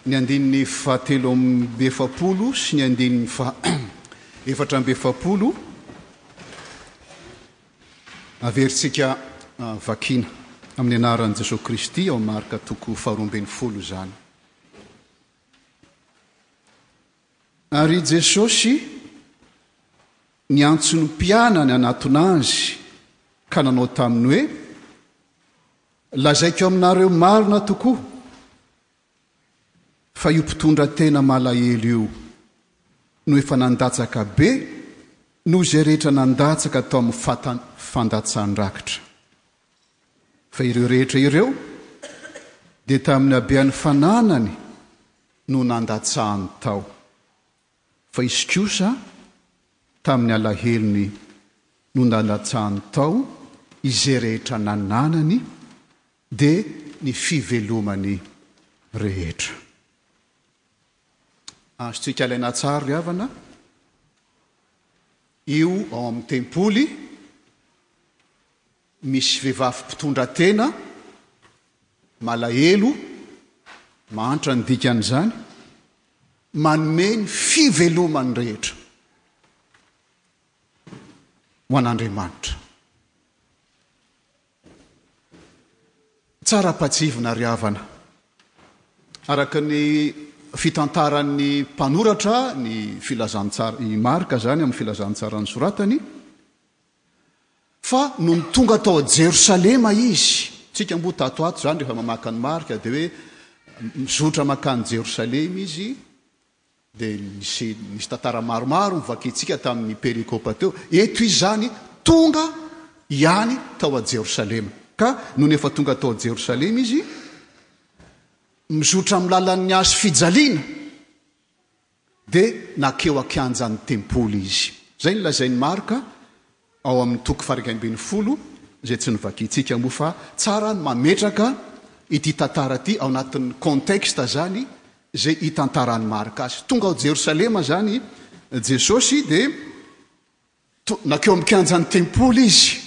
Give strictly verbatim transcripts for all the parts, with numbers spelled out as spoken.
Ny andininy fahatelo amby efapolo sy ny andininy faha efatra amby efapolo averintsika vakiana amin'ny anaran'i Jesoa Kristy ao Marka toko faharoa ambin'ny folo izany. Ary Jesosy niantso ny mpianany hanatona azy ka nanao taminy hoe: Lazaiko aminareo marina tokoa fa io mpitondra tena malahelo io no efa nandatsaka be noho izay rehetra nandatsaka tao amin'ny fatan fandatsan-drakitra. Fa ireo rehetra ireo dia tamin'ny habean'ny fananany no nandatsahany tao. Fa izy kosa tamin'ny alahelony no nandatsahany tao izay rehetra nananany, dia ny fivelomany rehetra. Azontsika alaina tsara ry havana, io ao amin'ny tempoly misy vehivavy mpitondra tena malahelo, mahantra ny dikan'izany, manome ny fivelomany rehetra ho an'Andriamanitra. Tsara ampahatsiahivina ry havana, araka ny fitantaran'ny mpanoratra ny filazantsara, i Marka izany amin'ny filazantsara nosoratany, fa nony tonga tao Jerosalema izy, tsika mboa tato ato izany rehefa mamaky an'i Marka dia hoe mizotra mankany Jerosalema izy, dia nisy, nisy tantara maromaro novakintsika tamin'ny perikopa teo. Eto izy izany tonga ihany tao Jerosalema. Ka nony efa tonga tao Jerosalema izy, mizotra amin'ny lalan'ny hazo fijaliana, dia nankeo an-kianjan'ny tempoly izy. Izay no lazain'i Marka ao amin'ny toko faha-iraika ambin'ny folo, izay tsy novakintsika moa fa tsara ny mametraka ity tantara ity ao anatin'ny contexte izany izay hitantaran'i Marka azy. Tonga ao Jerosalema izany Jesosy, dia nankeo amin'ny kianjan'ny tempoly izy,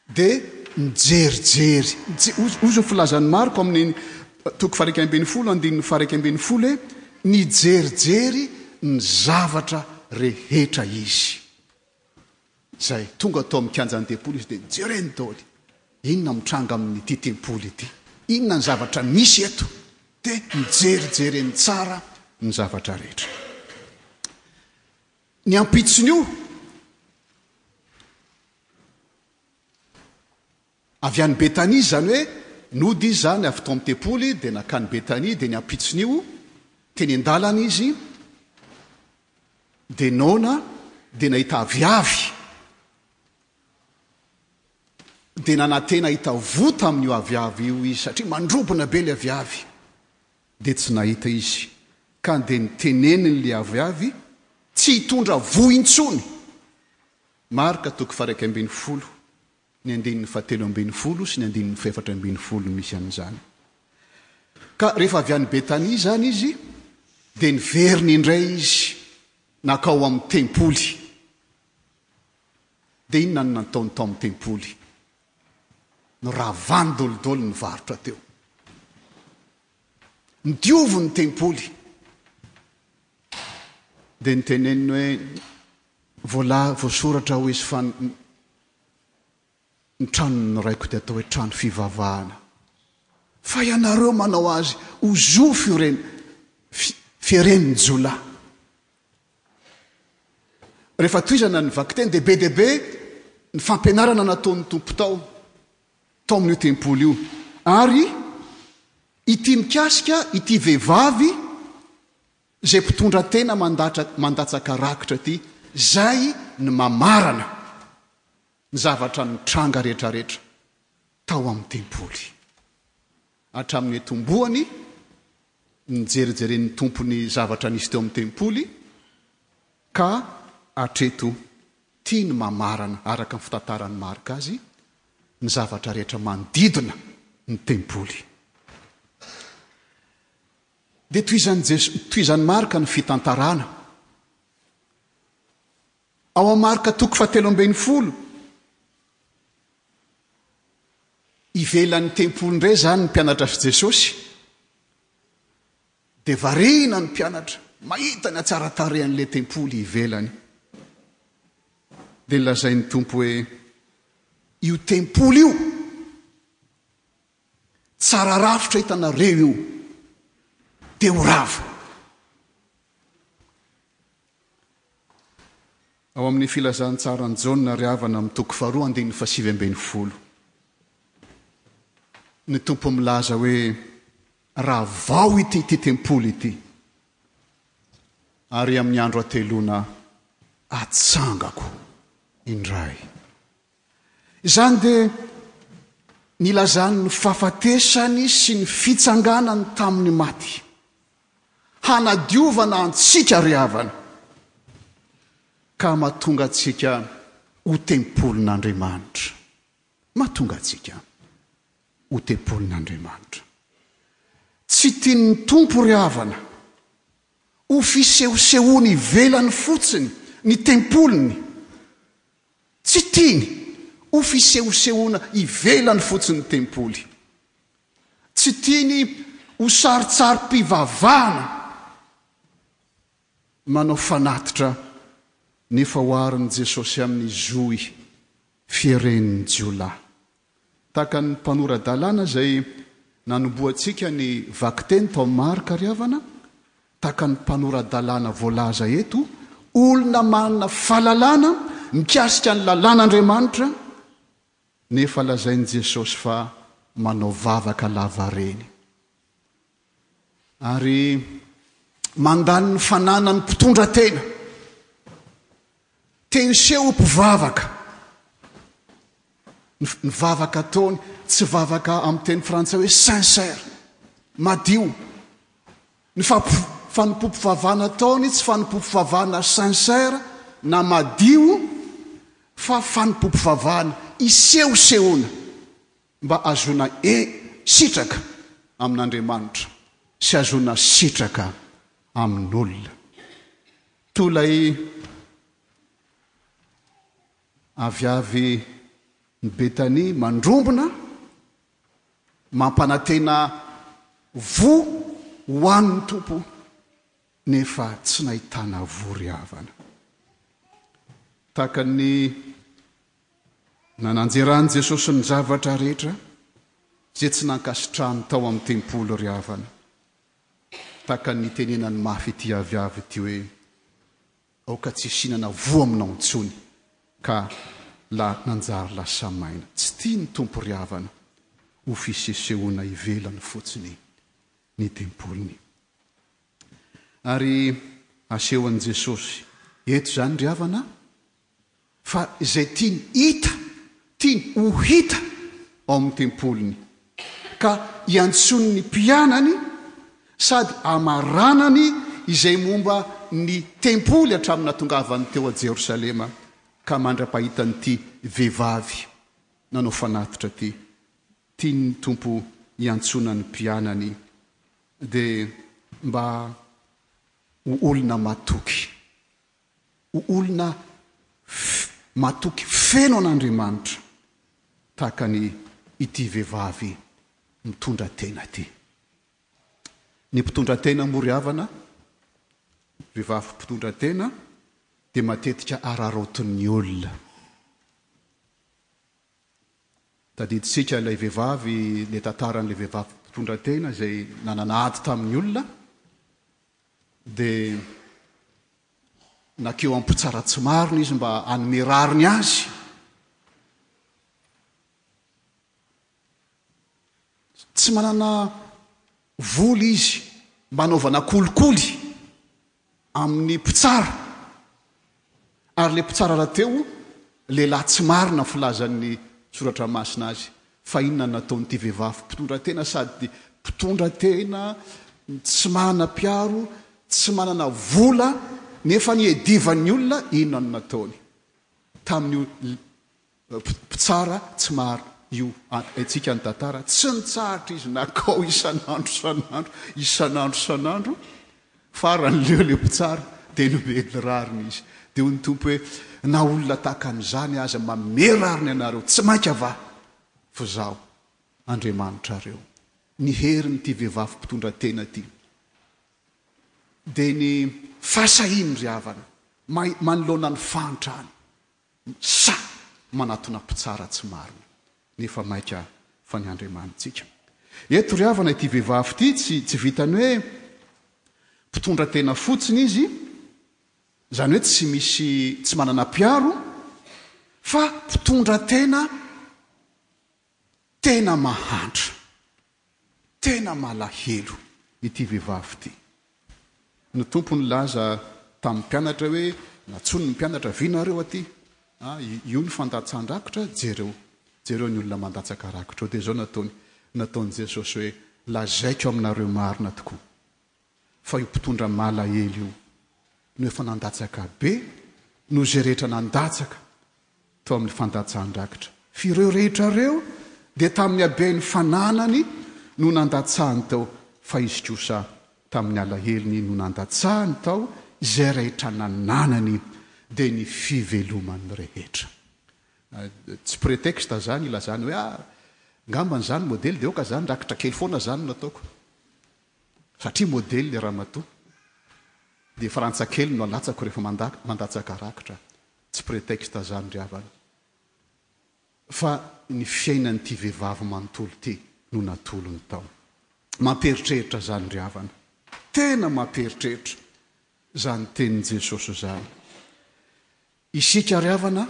dia nijerijery. Hoy ny filazan'i Marko amin'ny toko faha-iraika ambin'ny folo, andininy faha-iraika ambin'ny folo hoe nijerijery ny zavatra rehetra izy. Izay tonga tao amin'ny kianjan'ny tempoly izy dia nijereny daholo. Inona mitranga amin'ity tempoly ity? Inona ny zavatra misy eto? Dia nijerijereny tsara ny zavatra rehetra. Ny ampitson'io, avy any Betania, izany hoe nody izy izany avy tao amin'ny tempoly dia nankany Betania, dia ny ampitson'io teny an-dalana izy dia noana, dia nahita aviavy, dia nanantena hahita voa tamin'io aviavy io izy satria mandrobona be ilay aviavy, dia tsy nahita izy, ka dia niteneniny ilay aviavy tsy hitondra voa intsony. Marka toko faha-iraika ambin'ny folo, ny andininy fahatelo ambin'ny folo sy ny andininy fahefatra ambin'ny folo no misy an'izany. Ka rehefa avy any Betania izany izy, dia niverina indray izy nankao amin'ny tempoly. Dia inona no nataony tao amin'ny tempoly? Noravany dolidoly ny varotra teo. Nodioviny ny tempoly. Dia niteneniny hoe voala, voasoratra hoy izy fa ny tranon'ny raiko dia atao hoe trano fivavahana. Fa ianareo manao azy ho zo firen-, firen'ny jiolahy. Rehefa tohizana ny vakiteny dia be dia be ny fampianarana nataon'ny Tompo tao, tao amin'io tempoly io. Ary ity mikasika ity vehivavy izay mpitondra tena mandatra, mandatsaka rakitra ity, izay ny mamarana ny zavatra nitranga rehetrarehetra tao amin'ny tempoly. Hatramin'ny nitomboany, nijerijeren'ny Tompo ny zavatra nisy teo amin'ny tempoly, ka hatreto tia ny mamarana, araka ny fitantaran'i Marka azy, ny zavatra rehetra manodidina ny tempoly. Dia tohizan'i Jeso-, tohizan'i Marka ny fitantarana. Ao amin'ny Marka toko fahatelo ambin'ny folo, ivelan'ny tempoly indray izany ny mpianatra sy Jesosy, Dia variana ny mpianatra, mahita ny hatsaran-tarehan'ilay tempoly ivelany. Dia nolazain'ny Tompo hoe, io tempoly io, tsara rafitra hitanareo io, dia ho rava. Ao amin'ny filazantsaran'i Jaona ry havana amin'ny toko faharoa andininy fahasivy ambin'ny folo. Ny Tompo milaza hoe ravao ity ity tempoly ity ary amin'ny andro hateloana atsangako indray. Izany dia nilazany ny fahafatesany sy ny fitsanganany tamin'ny maty. Hanadiovana antsika ry havana ka mahatonga antsika ho tempolin'Andriamanitra. Mahatonga antsika ho tempolin'Andriamanitra. Tsy tian'ny Tompo ry havana ho fisehosehoany ivelany fotsiny ny tempoliny. Tsy tiany ho fisehosehoana ivelany fotsiny ny tempoly. Tsy tiany ho sarintsarim-pivavahana manao fanatitra nefa oharin'i Jesosy amin'ny zohy fieren'ny jiolahy. Tahaka ny mpanora-dalàna izay nanombohantsika ny vakiteny tao Marka ry havana, tahaka ny mpanora-dalàna voalaza eto, olona manana fahalalana mikasika ny lalàn'Andriamanitra, nefa lazain'i Jesosy fa manao vavaka lavareny. Ary mandany ny fananany mpitondra tena. Te hiseho ho mpivavaka. Ny vavaka ataony tsy vavaka amin'ny teny frantsay hoe sincère, madio. Ny fanompoam-pivavahana ataony tsy fanompoam-pivavahana sincère na madio fa fanompoam-pivavahana isehosehoana mba hahazoana sitraka amin'Andriamanitra sy hahazoana sitraka amin'olona. Toy ilay aviavy ny Betania mandrombona, mampanantena voa ho an'ny Tompo, nefa tsy nahitana voa ry havana. Tahaka ny nananjeran'i Jesosy ny zavatra rehetra izay tsy nankasitrahany tao amin'ny tempoly ry havana. Tahaka ny nitenenany mafy ity aviavy ity hoe, aoka tsy hisinana voa aminao intsony, ka la nanjary lasa maina. Tsy tia ny Tompo ry havana ho fisesehoana ivelany fotsiny ny tempoliny. Ary asehon'i Jesosy eto izany ry havana fa izay tiany hita, tiany ho hita ao amin'ny tempoliny, ka iantsoany ny mpianany sady amaranany izay momba ny tempoly hatramin'ny nahatongavany teo a Jerosalema ka mandra-pahitan'ity vehivavy nanao fanatitra ity. Tian'ny Tompo hiantsoana ny mpianany dia mba ho olona matoky, ho olona matoky feno an'Andriamanitra tahaka ny ity vehivavy mitondra tena ity. Ny mpitondra tena moa ry havana, vehivavy mpitondra tena dia matetika araraotin'ny olona. Tadidintsika ilay vehivavy, ilay tantaran'ilay vehivavy mpitondra tena izay nanana ady tamin'ny olona, dia nakeo amin'ny mpitsara tsy marina izy mba hanome rariny azy. Tsy manana vola izy mba hanaovana kolikoly amin'ny mpitsara. Ary ilay mpitsara rahateo lehilahy tsy marina ny filazan'ny soratra masina azy. Fa inona no nataon'ity vehivavy mpitondra tena sady mpitondra tena, tsy manana mpiaro, tsy manana vola, nefa niedivan'ny olona, inona no nataony? Tamin'io mpitsara tsy marina io, haintsika ny tantara, tsy nitsahatra izy nakao isan'andro isan'andro, isan'andro isan'andro, farany leo ilay mpitsara, dia nomeny rariny izy. Dia hoy ny Tompo hoe, na olona tahaka an'izany aza manome rariny anareo, tsy mainka va fa izaho Andriamanitrareo. Ny herin'ity vehivavy mpitondra tena ity dia ny fahasahiany ry havana manoloana ny fahantrany, sahy manatona mpitsara tsy marina, nefa maika fa ny Andriamanitsika. Eto ry havana ity vehivavy ity tsy tsy vitan'ny hoe mpitondra tena fotsiny izy, izany hoe tsy misy, tsy manana mpiaro, fa mpitondra tena tena mahantra, tena malahelo ity vehivavy ity. Ny Tompo nilaza tamin'ny mpianatra hoe, nantsoiny ny mpianatra, avia nareo aty, ah, io ny fandatsahan-drakitra, jereo, jereo ny olona mandatsaka rakitra eo. Dia izao nataony, nataon'i Jesosy hoe, lazaiko aminareo marina tokoa, fa io mpitondra malahelo io no efa nandatsaka be noho izay rehetra nandatsaka tao amin'ny fandatsahan-drakitra. F'ireo rehetra ireo dia tamin'ny haben'ny fananany no nandatsahany tao, fa izy kosa tamin'ny alahelony no nandatsahany tao izay rehetra nananany, dia ny fivelomany rehetra. Tsy prétexte zany ilazany hoe, ah, ngambany zany modely, dia aoka zany rakitra kely foana zany no ataoko. Satria modely le ramatoa, dia frantsa kely no alatsako rehefa mandatsaka rakitra. Tsy prétexte zany ry havana. Fa ny fiainan'ity vehivavy manontolo ity no natolony tao. Mampieritreritra zany ry havana. Tena mampieritreritra zany tenin'i Jesosy zany. Isika ry havana,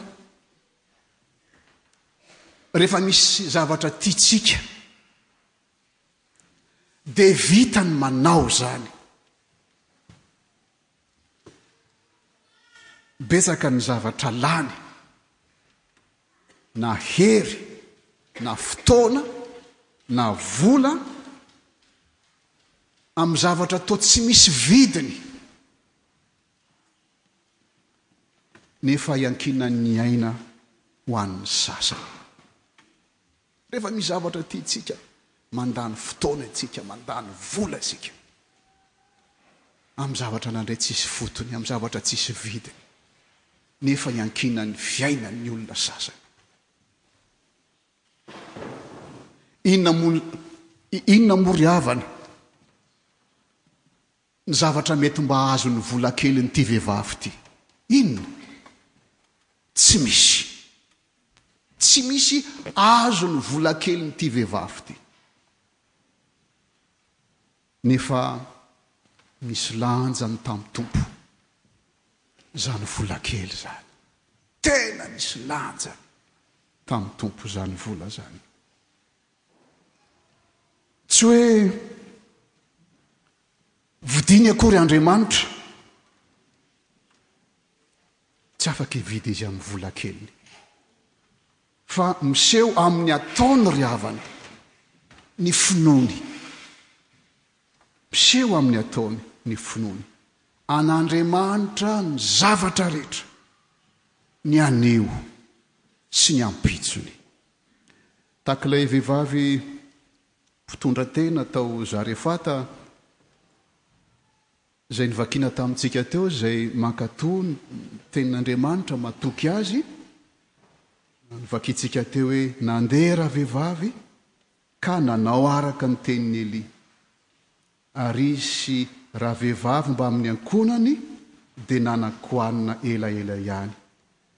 rehefa misy zavatra tiantsika, dia vita ny manao zany. Betsaka ny zavatra lany, na hery, na fotoana, na vola, amin'ny zavatra toa tsy misy vidiny, nefa iankinan'ny aina ho an'ny sasany. Rehefa misy zavatra tiantsika, mandany fotoana isika, mandany vola isika, amin'ny zavatra nandray tsisy fotony, amin'ny zavatra tsisy vidiny, nefa iankinan'ny fiainan'ny olona sasany. Inona moa, inona moa ry havana ny zavatra mety mba azon'ny vola kelin'ity vehivavy ity? Inona? Tsy misy. Tsy misy azon'ny vola kelin'ity vehivavy ity. Nefa misy lanjany tamin'ny Tompo izany vola kely izany. Tena misy lanjany tamin'ny Tompo izany vola izany. Tsy hoe vidiny akory Andriamanitra. Tsy afaka hividy izy amin'ny vola keliny. Fa miseho amin'ny ataony ry havana ny finoany. Miseho amin'ny ataony ny finoany. An'Andriamanitra ny zavatra rehetra, ny anio sy ny ampitsony. Tahaka ilay vehivavy mpitondra tena tao Zarefata, izay novakiana tamintsika teo, izay mankatò ny tenin'Andriamanitra, matoky azy. Novakintsika teo hoe nandeha ravehivavy ka nanao araka ny tenin'i Elia. Ary izy sy ravehivavy mbamin'ny ankohonany dia nanan-kohanina elaela ihany,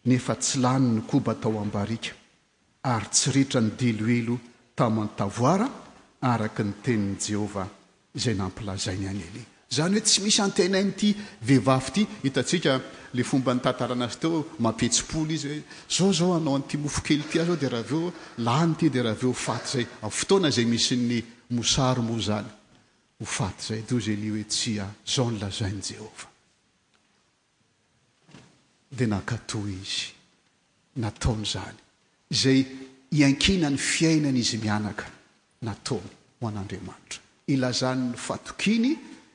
nefa tsy lany ny koba tao am-barika, ary tsy ritra ny diloilo taman-tavoara, araka ny tenin'i Jehovah izay nampilazainy an'i Elia. Izany hoe tsy misy antenain'ity vehivavy ity. Hitantsika ilay fomba nitantarana azy teo, mampihetsi-polo izy hoe zao zao hanao an'ity mofo kely ity aho zao, dia raha avy eo lany ity, dia raha avy eo faty izay. Amin'ny fotoana izay misy ny mosary moa izany, ho faty izay. Dia hoy Elia hoe tsia, zao no lazain'i Jehovah. Dia nankatò izy. Nataony izany. Izay iankinan'ny fiainan'izy mianaka, nataony ho an'Andriamanitra. Ilazany ny fatokiany,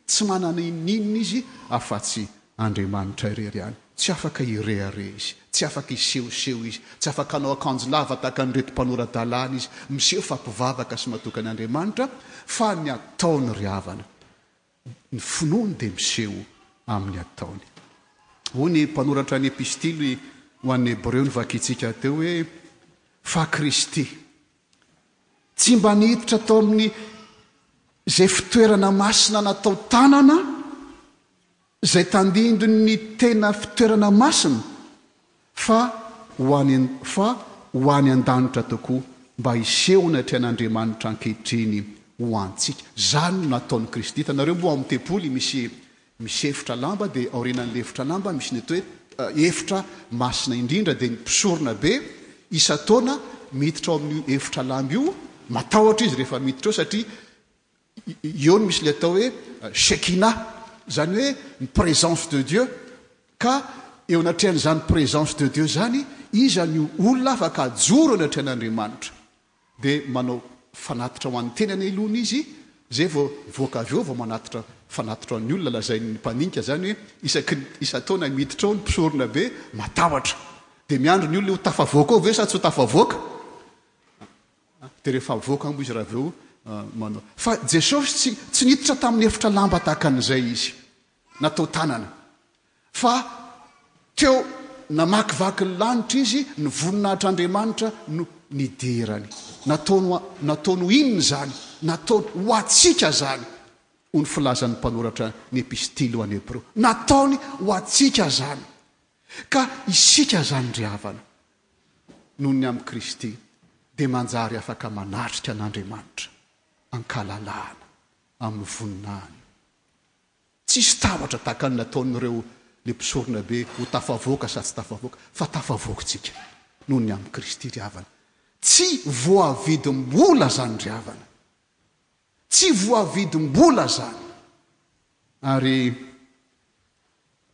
tsy manana inon'inona izy afa-tsy Andriamanitra irery ihany. Tsy afaka hirehareha izy, tsy afaka hisehoseho izy, tsy afaka hanao akanjo lava tahaka an'ireto mpanora-dalàna izy, miseho fa mpivavaka sy matoky an'Andriamanitra, fa ny ataony ry havana, ny finoany dia miseho amin'ny ataony. Hoy ny mpanoratra ny epistily ho an'ny Hebreo novakintsika teo hoe, Fa Kristy tsy mba niditra tao amin'ny izay fitoerana masina natao tanana, izay tandindon'ny tena fitoerana masina, fa ho any fa ho any an-danitra tokoa, mba hiseho anatrehan'Andriamanitra ankehitriny ho antsika. Izany no nataon'i Kristy. Hitanareo moa ao amin'ny tempoly misy misy efitra lamba, dia aorianan'ilay efitra lamba misy ny atao hoe efitra masina indrindra, dia ny mpisorona be isan-taona miditra ao amin'io efitra lamba io, matahotra izy rehefa miditra ao satria eo no misy ilay atao hoe Shekinah, izany hoe ny présence de Dieu, ka eo anatrehan'izany présence de Dieu izany, iza no olona afaka hajoro eo anatrehan'Andriamanitra? Dia manao fanatitra ho an'ny tenany aloha izy, izay vao mivoaka avy eo vao manatitra fanatitra ho an'ny olona. Lazain'ny mpandinika izany hoe isaky ny isan-taona miditra ao ny mpisorona be, matahotra. Dia miandry ny olona ho tafavoaka ao ve sa tsy ho tafavoaka? Dia rehefa avoaka moa izy raha avy eo manao. Fa Jesosy tsy, tsy niditra tamin'ny efitra lamba tahaka an'izay izy, natao tanana. Fa teo namakivaky ny lanitra izy, ny voninahitr'Andriamanitra no nidirany. Nataony, nataony ho inona izany? Nataony ho antsika izany, hoy ny filazan'ny mpanoratra ny epistily ho an'ny Hebreo. Nataony ho antsika izany. Ka isika izany ry havana, noho ny amin'i Kristy, dia manjary afaka manatrika an'Andriamanitra an-kalalahana amin'ny voninahiny. Tsisy tahotra tahaka ny nataon'ireo le mpisorona be ho tafavoaka sa tsy tafavoaka, fa tafavoakantsika noho ny amin'i Kristy ry havana. Tsy voavidim-bola izany ry havana. Tsy voavidim-bola izany. Ary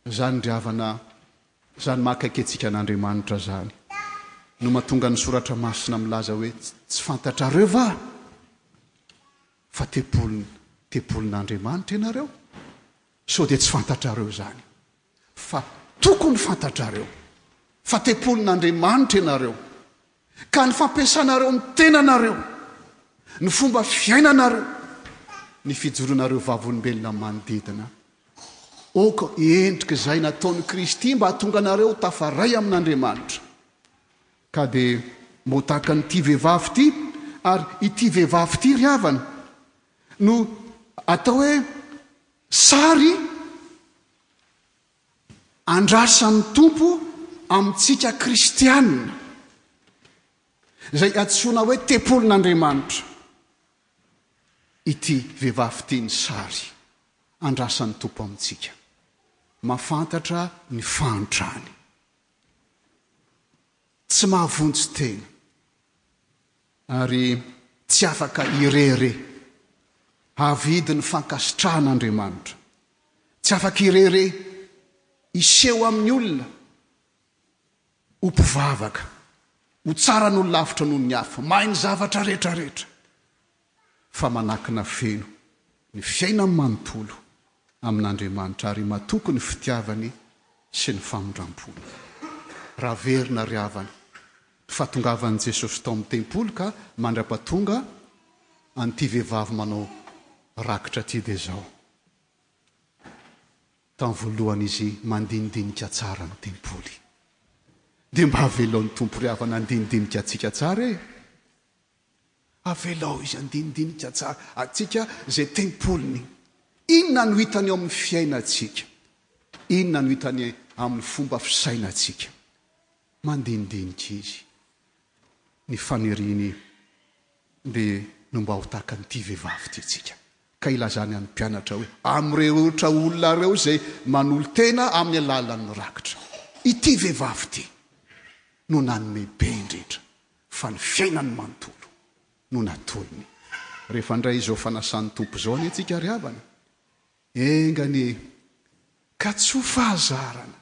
izany ry havana, izany maha akaiky antsika an'Andriamanitra izany no mahatonga ny soratra masina milaza hoe tsy fantatrareo va fa tempolin-, tempolin'Andriamanitra ianareo? Sao dia tsy fantatrareo izany, fa tokony fantatrareo fa tempolin'Andriamanitra ianareo, ka ny fampiasanareo ny tenanareo, ny fomba fiainanareo, ny fijoronareo vavolombelona manodidina, aoka endrika izay nataon'i Kristy mba hahatonga anareo tafaray amin'Andriamanitra. Ka dia mbo tahaka an'ity vehivavy ity, ary ity vehivavy ity ry havana no atao hoe sary andrasan'ny Tompo amintsika kristianina, izay antsoina hoe tempolin'Andriamanitra. Ity vehivavy ity ny sary andrasan'ny Tompo amintsika, mahafantatra ny fahantrany, tsy mahavonjy tena, ary tsy afaka irery havidy ny fankasitrahan'Andriamanitra, tsy afaka irery hiseho amin'ny olona ho mpivavaka, ho tsara noho ny lavitra noho ny hafa, mahay ny zavatra rehetrarehetra, fa manakina feno ny fiainany manontolo amin'Andriamanitra ary matoky ny fitiavany sy ny famindram-pony. Raha verina ry havana, ny fahatongavan'i Jesosy tao amin'ny tempoly ka mandra-pahatonga an'ity vehivavy manao rakitra ity dia izao. Tamin'ny voalohany izy mandinidinika tsara ny tempoly. Dia mba avelao ny Tompo ry havana handinidinika antsika tsara e. Avelao izy handinidinika tsara antsika izay tempoliny. Inona no hitany eo amin'ny fiainantsika? Inona no hitany amin'ny fomba fisainantsika? Mandinidinika izy. Ny faniriany dia no mba ho tahaka an'ity vehivavy ity tsika. Ka ilazany amin'ny mpianatra hoe amin'ireo ohatra olona ireo izay manolo-tena amin'ny alalan'ny rakitra. Ity vehivavy ity no nanome be indrindra, fa ny fiainany manontolo no natolony. Rehefa handray izao fanasan'ny Tompo izao anie tsika ry havana, enga anie ka tsy ho fahazarana,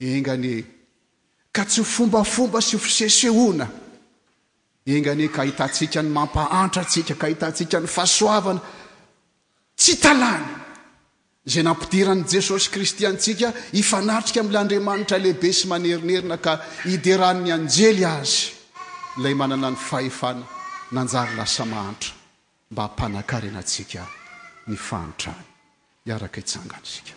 enga anie ka tsy ho fombafomba sy ho fisesehoana, enga anie ka ahitantsika ny mampahantra antsika, ka ahitantsika ny fahasoavana tsy talany izay nampidiran'i Jesosy Kristy antsika hifanatrika amin'ilay Andriamanitra lehibe sy manerinerina ka hideran'ny anjely azy, ilay manana ny fahefana nanjary lasa mahantra mba hampanakarena antsika ny fahantrany. Hiaraka hitsangana isika.